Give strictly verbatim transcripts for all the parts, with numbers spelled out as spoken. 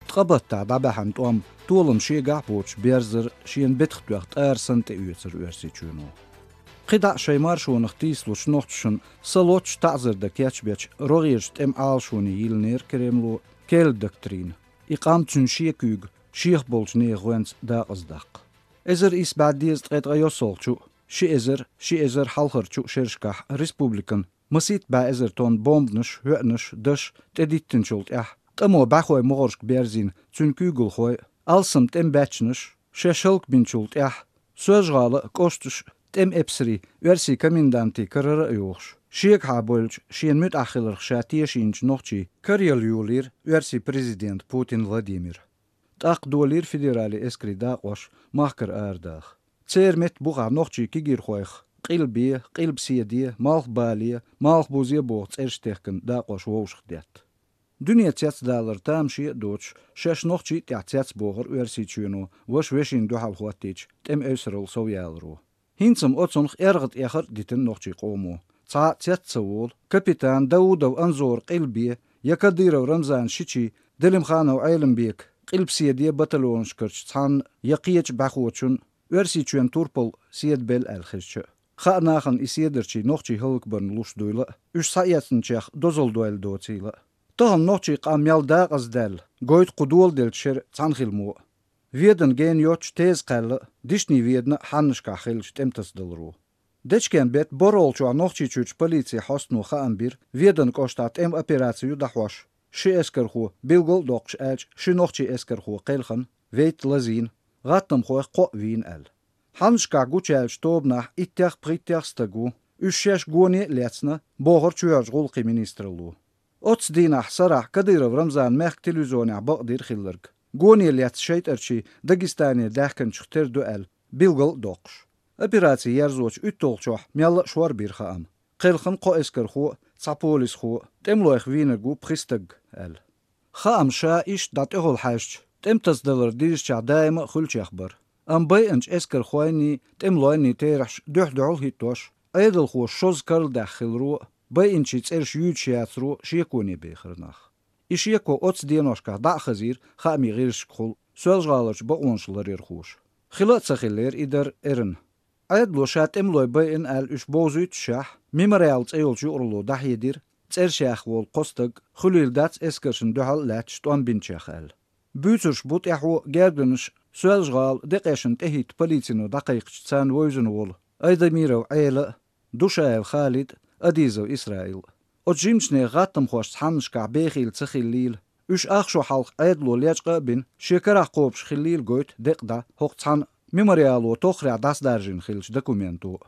Ткъа баттахь дӀабаьхьна тӀом толам шегахь а боцуш берзар, шена бетах тоьхна тӀара санна тӀеоьцура Оьрсийчоьно. КхидӀа а шайн маршонах тийсалучу нохчашна са лоцуш таӀзар дан кечбечу рогӀерачу тӀеман Ӏалашоне йиллинера Кремло керла доктрина: и къам, цуьнан шен куьйга шех болчу нехан гӀоьнца дакъаздаккха. Эзар исс бӀе дезткъе ткъе йоссалгӀачу, ши эзар, ши эзар хьалхарчу шерашкахь республикана масийтта бӀе эзар тонна бомбанаш, хӀоьънаш, даш тӀедиттинчул тӀаьхьа, тӀамо бӀаьхой могӀаршка берзийна цуьнан куьйгалхой, алсам тӀеман баьччанаш, шаьш хӀаллакбинчул тӀаьхьа, Соьлжа-ГӀала а, кӀошташ а тӀеман эпсарийн, оьрсийн комендантийн карара а йохуш, шегахьа бевллачу, шена муьтӀахь хиларх ша тешийначу нохчийн караяла йолийра оьрсийн президента Путин Владимира. ТӀаккха долийра федерале эскарийн дакъош махкара арадаха. Церан метта бухахь нохчийн кегийрхойх Къилбе, Къилбаседе, Малхбале, Малхбузе боху цӀераш техкина дакъош вовшах детта. Дуьне цецдалар тамаше а доцуш, шаьш нохчийн а тӀехь цецбохура Оьрсийчоьно, ваша вешина дуьхьал хӀоттийча тӀеман эвсаралла совъяларо. ХӀинца-м оцунах эргӀа тӀехар а дитина нохчийн къомо. Цхьа а цец ца волу, капитан Даудов Анзора Къилбе я Кадыров Рамзанан шичийн Делимханов Ӏеламбекан Къилбаседе батальонашкарчу цхьанна я кхечу бӀаьхочунна Оьрсийчоьнан турпал седабелла аьлла хезча а, хаьа нахана и седарчий нохчий хӀаллакбарна луш дуйла а, уьш схьаэцначех дозалла дойла доцийла а. Тахана нохчийн къам мел дакъаздаьлла, гойту кху доладеллачу шеран цхьаьна хила мо а. Веданан гена йоццуш Теза-Кхаьлла а, Дишни-Ведана а хьаннашкахь хиллачу тӀематасадаларо. Дечкен-беттан борхӀалгӀачохь Нохчийчуьрчу полицин хьостано хаам бира, Веданан кӀоштахь тӀеман операци ю дӀахьош, ши эскархо билгал а доккхуш аьлча, ши нохчийн эскархо кхелхина, вейтта лазийна, гӀаттамхойх кхоъ вийна аьлла. Хьаннашкахь гучуяьллачу тобанахь иттех-пхийттех стаг ву, уьш шаьш гоне а лецна, бохура чоьхьарчу гӀуллакхийн министралло. Оццу дийнахь сарахь Кадыров Рамзана мехкан телевизионехь бакъдира хилларг, гоне лецна шайтӀарчий Дагестане даьхкинчух тера ду аьлла, билгал а доккхуш. Операци ерзочу уьтталгӀачохь мелла а шорбира хаам. Кхелхина кхо эскархо а, цхьа полисхо а, тӀемалойх вийнарг ву пхи стаг аьлла. Хаам ша иштта дӀа тӀехула хьаьжча, тӀематасадалар дирзичахь даима а хуьлучех бара. Амма байинчу эскархойнний, тӀемалойнний терахьаш дуьхь-дуьхьал хӀиттош, Ӏедалхоша шозза карладаьхна хиларо а, байинчийн цӀераш юьйцуш яцаро а шеконе бехира нах. И шеко оццу деношкахь дӀа а хазийра хаамийн гӀирсашкахула Соьлжа-ГӀаларчу бакъонаш ларъярхоша. Хила а ца хиллера и дар эрна. Ӏедало ша тӀемалой байина аьлла уьш бовзуьйтушшехь, «Мемориал» цӀе йолчу юкъаралло дӀахьедира, цӀераш яьхна волу кхо стаг хуьлийла дац эскаршна дуьхьал а лаьтташ тӀом бинчех аьлла. Буьйцурш бу тӀаьхьо гергарнаш Соьлжа-ГӀала декъешна тӀехӀитта полицино дӀакхайкхича царна вевзина волу Айдамиров Ӏела а, Душаев Халид а, Адизов Исраил а. Оцу жимачу нехан гӀаттамхошца хьаннашкахь бехийла ца хиллийла, уьш ах шо хьалха Ӏедало лечкъа а бина, шен карахь кхобуш хиллийла гойту декъа дӀа хӀокху цхьана «Мемориало» тоххарехь дӀасадаржийна хиллачу документо а.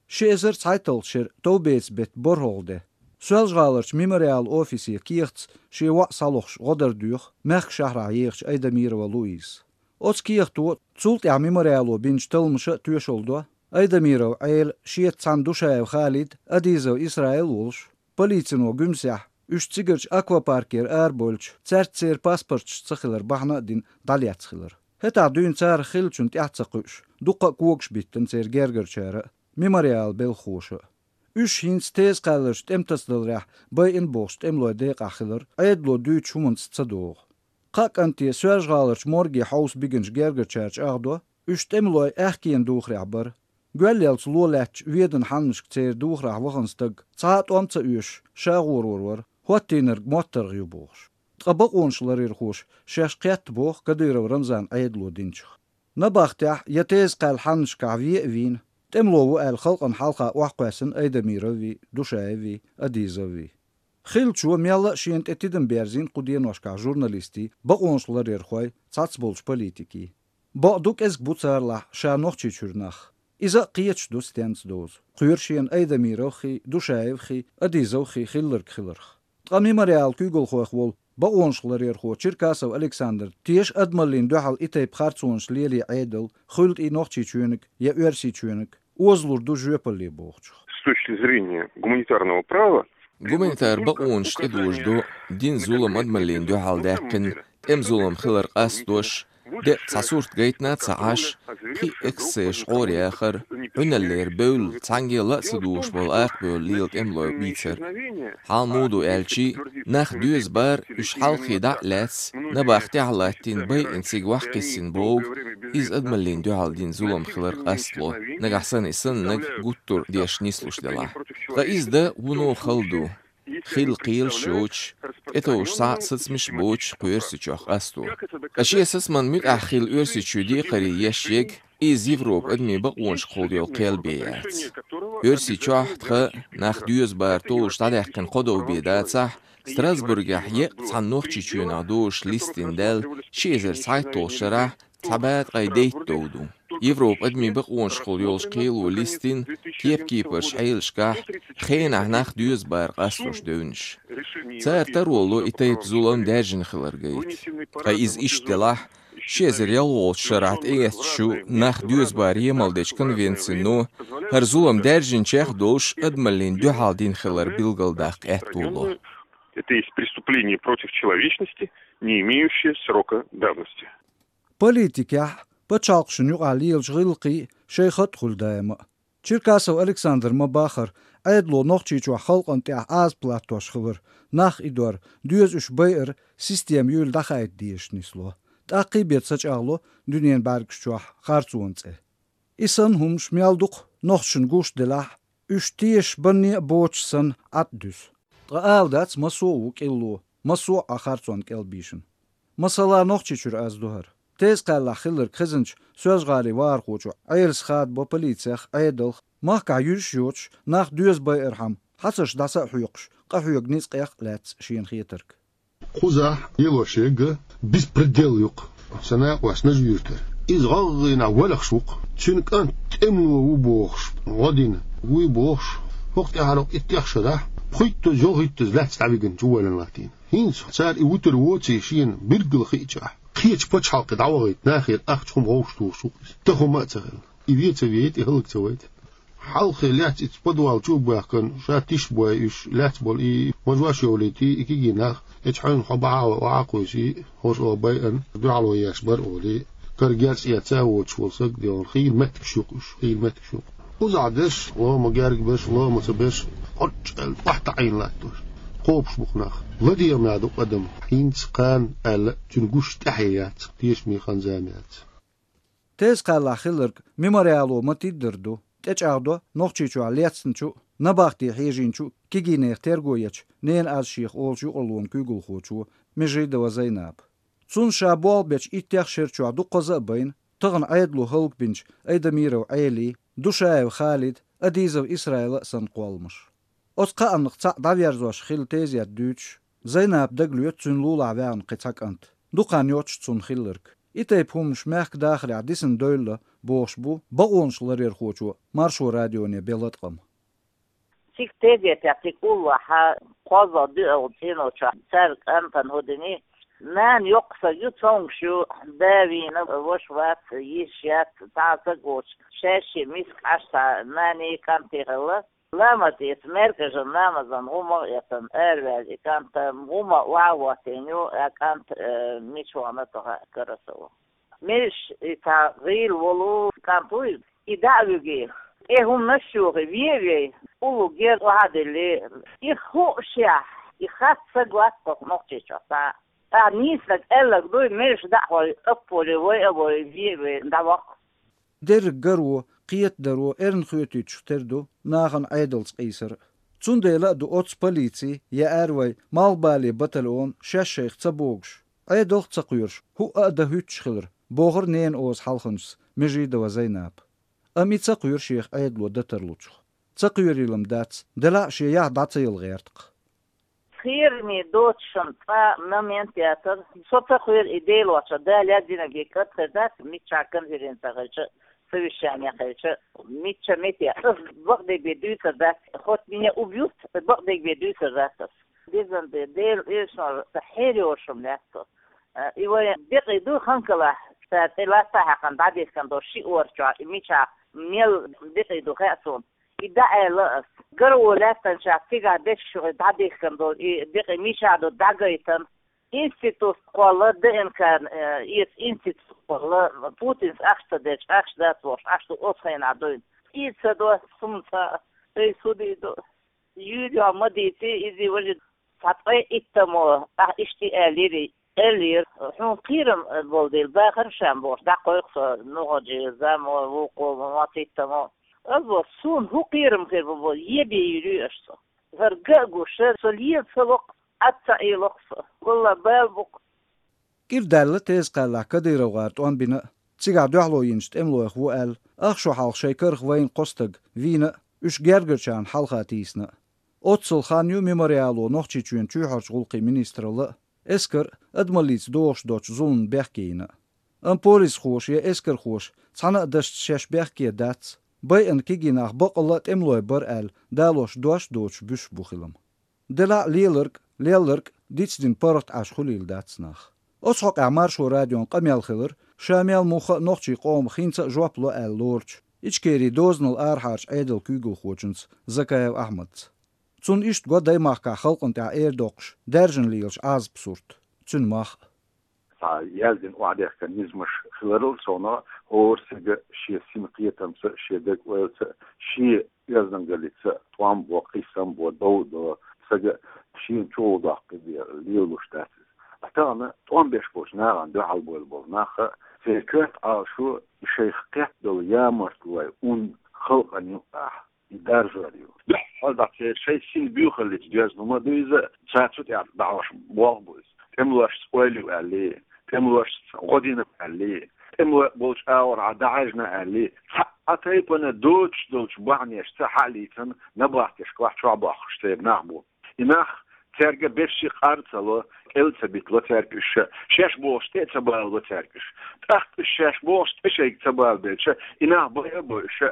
Ши эзар цхьайтталгӀачу шеран товбеца беттан борхӀалгӀа де. Соьлжа-ГӀаларчу «Мемориал» офисе кехатца шен воӀ схьалохуш гӀо дар доьху мехкан шахьарахь ехачу Айдамирова Луизас. Оцу кехато, цул тӀаьхьа «Мемориало» бинчу талламаша а тоьшалла до, Айдамиров Ӏела шеца цхьаьна Душаев Халид а, Адизов Исраил а волуш, полицино Гуьмсехь, уьш цигарчу аквапаркера арабевлча, цаьрца церан паспорташ ца хилар бахьана а дина, дӀалецна хилар. ХӀетахь дуьйна царах хиллачунна тӀаьхьа ца кхуьуш, дуккха а когаш биттина церан гергарчара а, «Мемориалан» белхахоша а. Уьш хӀинца Теза-Кхаьлларчу тӀематасадаларехь байина бохучу тӀемалойн декъахь хилар Ӏедало дуьйцучу хӀуманца ца догӀу. Кхаа кӀанте Соьлжа-ГӀаларчу морге хьовса бигинчу гергарчара чӀагӀдо, уьш тӀемалой аьхкенан духарехь бара. Гоьллелц ло лаьттачу Веданан хьаннашка церан духарехь вахана стаг цхьа а тӀом ца оьшуш, ша гӀорор вара, хӀоттийнарг моттаргӀа ю бохуш. Ткъа бакъонаш ларъярхоша шаьш кхетта боху Кадыров Рамзана Ӏедало динчух. Набахтехь я Теза-Кхаьлла хьаннашкахь ве а вийна, тӀемало ву аьлла халкъана хьалха охьакхоьссина Айдамироввий, Душаеввий, Адизоввий. Хиллачо мелла а шена тӀе тидам берзийна кху деношкахь журналистийн, бакъонаш ларъярхойн, цхьацца болчу политикийн. Бакъду, кӀезиг бу царалахь ша Нохчийчуьра нах. Иза а кхеташ ду стенца дозу, кхоьру шена Айдамировххий, Душаевххий, Адизовххий хилларг хиларх. Ткъа «Мемориалан» куьйгалхойх волу бакъонаш ларъярхо Черкасов Александр теша адамаллина дуьхьал и тайпа харцонаш лело Ӏедал, хуьлда и Нохчийчоьниг я Оьрсийчоьниг, озалур ду жоьпалле бохучух. С точки зрения гуманитарного права, гуманитар бакъонаш тӀедожадо дина зулам адамаллина дуьхьал даьккхина, тӀеман зулам хилар къастадеш, де а цхьа сурт гайтина а ца Ӏаш, пхи а эксцесс гӀора яхар, Ӏуналлера бевлла, цхьаннегала а ца догӀуш болу акха бевлла лела тӀемалой бийцар. Хьал муха ду аьлча, нах доьза бара, уьш хьалххе дӀа а лаьцна, набахтехь латтийна байина цига ваха кхиссина бохург, иза адамаллина дуьхьал дина зулам хилар къастло, нагахь санна и саннарг гуттар а деш нислуш делахь. Ткъа иза дан вуно хала ду. Хилла кхелаш йоцуш, тӀетовжа схьа а сацамаш а боцуш кху Оьрсийчохь къасто. Ткъа шен сацаман муьтӀахь хилла Оьрсийчоь декхаре еш ерг, иза Европа адамийн бакъонашкахула йолу кхел бен яц. Оьрсийчохь тхан нах доьза бара толлуш дӀадаьккхина кхо дов бен дацахь, Страсбургехь еккъа цхьана Нохчийчоьнах дозуш листина даьлла ши эзар цхьайтталгӀачу шарахь цхьа бӀе ткъе дейтта дов ду. Европа адамийн бакъонашкахула йолчу кхело листина кеп-кепарчу Ӏелашкахь хенахь нах доьза бара къастош девнаш. Цара таро ло и тайпа зулам даьржина хилар гайта. Ткъа иза иштта делахь, ши эзар ялхалгӀачу шарахь тӀеэцначу нах доьза бара емал дечу конвенцино хӀара зулам даьржинчех а долуш адамаллина дуьхьал дина хилар билгалдаккха аьтто ло. Это есть преступление против человечности, не имеющее срока давности. Политикехь а, пачхьалкхашна юкъахь лелачу гӀиллакхийн шайн хатӀ хуьлу даима а. Черкасов Александра ма-баххара, Ӏедало Нохчийчохь халкъана тӀехь Ӏазап латтош хилар, нах идор, доьза уьш байар система юйла дӀахаийта дезаш нисло. ТӀаккхий бен ца чӀагӀло дуьненан бӀаьргаш чохь харцонан цӀе. И санна хӀуманаш мел дукха нохчашна гуш делахь а, уьш тешаш банне а боцуш санна Ӏад дуьсу. Ткъа ала дац, массо а ву кӀилло, массо а Ӏа харцонна кӀел бийшина. Масала, Нохчийчуьра аз ду хӀара. Теза-Кхаьллахь хилларг хезначу Соьлжа-ГӀалин вахархочо Ӏелас хадабо полицех, Ӏедалх, махкахь юьзуш йоцуш, нах доьза байархьама, хьацарш дӀаса а хьоькхуш, къахьоьгу ницкъех а лаьцна шена хетарг. Кхузахь лелош ерг беспредел ю-кх, сан накъосташа юьртара. Иза гӀалгӀайнахь валахаш ву-кх. Цуьнан кӀант тӀемало ву бохуш, гӀо дина, вуй бохуш, хӀокху тӀаьхьара иттех шарахь пхуьйттазза, йолхуьйттазза лаьцна дӀавигина чу валлина латтийна. ХӀинца цара и вуьтур воций шена билггал хиъчахь, кхечу пачхьалкхе дӀавахийта нахера ахча, хӀума гӀовш тухуш ву иза. Тахана хӀума а ца хилла. И вен ца вейта, и хӀаллак ца вайта. Хьалххе лаьцна иза подвал чу а баьхкина, ша тиш бой уьш, лаьцна болу и мажош йолуьйтий, и кегий нах, эчу хьуьнан хьо бахьа а вай, охьа а кхуьйсий, хӀорш оха байъана, дуьхьало еш бара олий, кара герз эца а воцуш волу саг а девлла, хийла меттигаш ю-кх уьш, хийла меттигаш ю-кх. Кхузахь дерш, лома герга берш, лома ца берш, Ӏоччу аьлла, охьатаӀийна латтош. Кхобуш бу-кх нах. ЛадегӀамехь ду-кх адам, хӀинца кхана аьлла, цуьнан гуш тӀаьхье яц, тешаме хан-зама яц. Теза-Кхаьллахь хилларг Мемориало ма-тиддара ду, тӀечӀагӀдо Нохчийчохь лецначу а, набахте хьежийначу а кегийнехан терго ечу «Ненан аз шех» олучу юкъараллин куьйгалхочо Межидова Зайнапа. Цунна ша болх бечу иттех шера чохь дуккхаза а байна, тахана Ӏедало хӀаллакбинчу Айдамиров Ӏелин, Душаев Халидан, Адизов Исраилан а санна кхолламаш. Оцу кхааннах цхьаъ дӀаверзош хилла тезет дуьйцуш, Зайнапа дагалоьцу цуьнан лулахь ваьхна кхин цхьа кӀант. Дукха хан йоцуш цунна хилларг. И тайпа хӀуманаш мехкан дахарехь дисина девлла бохуш бу бакъонаш ларъярхочо Маршо радионе бен латкъам. Цига тезетехь, цига уллохь кхозлагӀа доьалгӀачу цӀено чохь цаьрга кӀантана хӀу дина: нана йоккха саг ю, цомгуш ю, да вийна, ваша вац, йиша яц, цхьа а саг воцуш, шаьш а миска Ӏаш цхьа нанеи кӀантеи хилла. Ламаз эца, маьркӀажан ламазан гӀум а эцна, араваьлла и кӀант, гӀум а охьа а хӀоттийна ю, а кӀант, э, мича вахана а ца хаьа, карасо. Меллаша и цхьа гӀийла волу кӀант вуй, и дӀа а вуьгий, тӀе хӀуманаш а йохий, вен а вей, уллу герз охьа а диллий, и хуушехь, и хатта саг вац-кх Нохчийчохь цхьа а. Ахьа нийсаниг аьлларг дуй, меллаша дӀа а хой, апполе вай а вой, вен а вей, дӀаваккха. Дерриг гаро, кхетадаро эрна хоьтуьйтуш тера ду нахана Ӏедалца къийсар а. Цундела а ду оццу полицин я аьрру вай малхбален батальон шаьш шайх ца богуш, Ӏедалх а ца кхоьруш, хӀуъа а дан хӀуьттуш хилар, бохура ненан оза хьалханчас Межидова Зайнапа. Амма и ца кхоьру шех Ӏедало дан тарлучух. Ца кхоьрийла-м дац, делахь а шен яхь дӀа ца яла гӀерта-кх. Кхераме доцуш-м цкъа а момент яцара. Со ца кхоьру и Делан вахча, Дала яздинарг кӀант хир дац, миччахьа конференци хилча а, совещани хилча а, мичча а метте. Ас бакъдерг бен дуьйцур дац, хоть меня убьют, бакъдерг бен дуьйцур дац ас. Дезан де, Делан эшнор, сан хьерайолуш-м лаьтта со. И вайн декъий ду ханкалахь, сан тӀе латта хьаькхна дӀадихкина долу ши ор чохь, и мичахь мел декъий ду хаьа суна. И дӀааьлла ас. Гаро лаьттанчохь цигахь дешчух дӀадихкина долу и декъий мичахь ду дӀагайтина. Институт кхолла, ДНК, э, эца институт кхолла, Путинца ахча ца дечу, ахча дац бохуш, ахча ду оцу хенахь дуьйна. И ца до сумца, эй, судий до. Юрий ма дийци, изи важи цхьа ткъе иттамо, ахь иштта аьллири, эллира, хьуна кхерам болу дела, бахаршам бохуш, дӀакхойкху со, нугӀаджи, замо, вукхо, ма циттамо. Ас бо, суна хӀун кхерам хир бу бо, е бе юьрий аша со. ХӀара ган а гуш, со лела ца локху, Ӏад ца Ӏелокху со. Валла, бала бу-кх. КӀира даьлла Теза-Кхаьллахь Кадыров гӀара тӀом бина а, цигахь дуьхьало йинчу тӀемалойх ву аьлла, ах шо хьалха шайн карах вайна кхо стаг вийна а, уьш гергарчарна хьалха тийсина а. Оццул хан ю Мемориало Нохчийчоьнан чоьхьарчу гӀуллакхийн министралла а, эскар а адамаллица догӀуш доцчу зуламна бехке йина а. Амма полисхоша я эскархоша цхьана а дашца шаьш бехке дац, байъина кегий нах баккъалла а тӀемалой бара аьлла далош дош а доцуш буьсуш бу хилам. Делахь а леларг а, лелларг а дицдина паргӀат Ӏаш хуьлийла дац нах. Оцу хьокъехь Маршо радион къамел хилира ша мел муха а нохчийн къоман хӀинца а жоп ло аьлла лоручу, Ичкерин дозанал арахьарчу Ӏедалан куьйгалхочуьнца Закаев Ахьмадца. Цунна иштта го Даймахкахь халкъана тӀехь эр доккхуш даьржина лелаш Ӏазап сурт, цуьнан мах а. Цхьа яздина охьадехкина низамаш хиларал совнаха, хӀора стага шен синан кхетамца, шен деган ойлаца, шен оьздангаллица тӀом бо, кхиссам бо, дов а до, стага шена чӀогӀа доккхий бен лелалуш дац иза. Ткъа тахана тӀом беш болчу нахана дуьхьал бовла болу нах а, церан коьрта Ӏалашо, и шайх кхетта долу ямартлой ун халкъана юкъахь и даржор ю. Дуьххьал дӀа церан шайн синан буьйхаллица доьзна хӀума ду иза, цара цу тӀехь дӀахьош болх бу иза. ТӀемалошца ойла ю аьллий, тӀемалошца гӀо дина аьллий, тӀемалой болчу агӀорхьа дӀахьаьжна аьллий, цхьа а тайпана доцуш долчу бахьанешца хьалийцина набахтешкахь чохь бохкуш церан нах бу. И нах цаьрга берриш а къар а ца ло, кӀел а ца битало цаьрга уьш, шаьш бохуш тӀе а ца балало цаьрга уьш. ТӀаккха уьш шаьш бохуш тӀе шайга ца балабелча, и нах байа а бо уьш,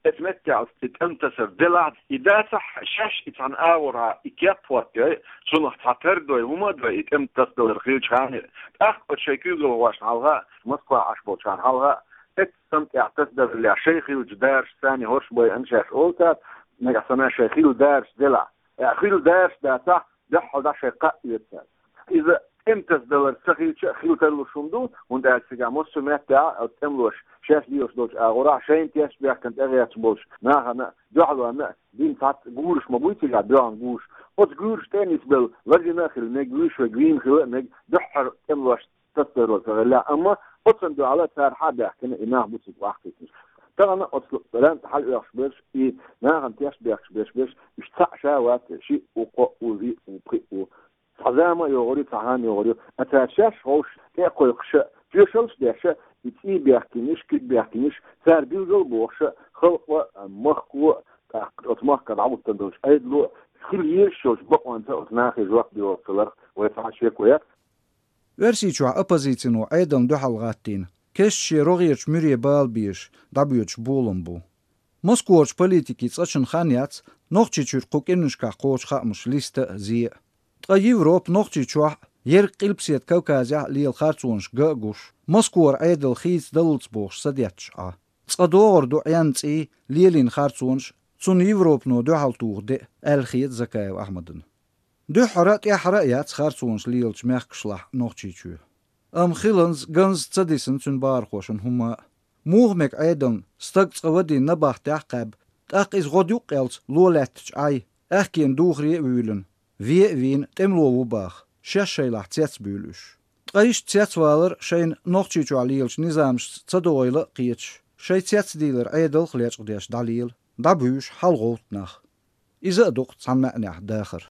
эцу меттехь и тӀеман тасар делахь а, и дацахь а, шаьш и цхьана агӀорхьа и кеп хӀоттайой, цунах цхьа тар дой, хӀума а дой, и тӀеман тасадалар хилча ханна. ТӀаккха оцу шайн куьйгалхошна хьалха а, Москва Ӏаш болчарна хьалха а, эццу тӀеман тӀехь тасадаллехь шайн хиллачу дарашца царна хӀорш байина шаьш олу цара, нагахь санна шайн хилла дараш делахь. Э, хилла дараш дацахь, дуьххьал дӀа шайн кхаъ оьцу цара. Иза тӀеман тасадалар ца хилча а хила тарлуш хӀума ду, хӀунда аьлча цигахь массо а меттехь а оцу тӀемалоша шаьш лелош долчу агӀорахь шайна тешна бехкана тӀегӀерташ болчу нахана а, дуьхьалонна а дина цхьацца гураш ма буй цигахь, доьгӀна гураш. Оцу гуьраш тӀе а нисбелла лазийна а хила мега, вуьйш верг вийна хила а мега, дуьххьара тӀемалошца тасадалар ца хилла, амма оцунна дуьхьал а цара хьа а баьхкина и нах бу цига охьакхийтинарш. Тахана оцу лаьнта хьалаоьхуш берш, и нахана тешна бехкаш берш, берш, уьш цхьаъ ша вац, шиъ ву, кхоъ ву, виъ ву, пхиъ ву. Цхьа зама а йогӀур ю, цхьа хан а йогӀур ю. Ткъа цара шаьш ховш, тӀе а кхойкхуш а, тоьшаллаш а деш а, и цӀий бехкинарш, куьг бехкинарш, цара билгал а бохуш а, халкъо а, махко а, тӀаккха оцу махкахь дӀахӀуттун долчу Ӏедало а, хила езаш йолчу бакъонца оцу нахе жоп доьлхуш хиларх вай цхьа а шеко яц. Оьрсийчохь оппозицино Ӏедална дуьхьал гӀаттийна, кестта шен рогӀерчу муьре бала безаш, дӀабоьдуш болам бу. Москварчу политикийн цкъачунна хан яц Нохчийчуьра кху кӀирнашкахь кхочу хаамаш листа а, зе а. Ткъа Европа Нохчийчохь а, Ерриг Къилбаседа Кавказехь а лела харцонаш ган а гуш, Москвара Ӏедал хийцадаллалц бохуш садетташ Ӏа. Цкъа догӀур ду Ӏен цӀий, лелийна харцонаш а, цунна Европано дуьхьал туху де а, аьлла хета Закаев Ахьмадана. Дуьххьара а, тӀаьххьара а яц харцонаш лелачу мехкашлахь Нохчийчоь. Амма хиланза, ганза ца дисина цуьнан бахархошна хӀумма а. Муха мега Ӏедална стаг цкъа вадийна набахтехь а кхаьбба, тӀаккха иза гӀодаюккъелца ло лаьттачу Ӏай, аьхкенан духаре а вуьйлина, ве а вийна, тӀемало ву баха, шаьш шайлахь цецбуьйлу уьш. Ткъа иштта цецвалар шайна Нохчийчохь лелачу низамашца ца догӀийла а кхеташ, шайн цецдийлар Ӏедалх а лечкъадеш дӀалела, дӀабуьйш хьалагӀовтту нах. Иза а ду-кх цхьана маьӀнехь дахар.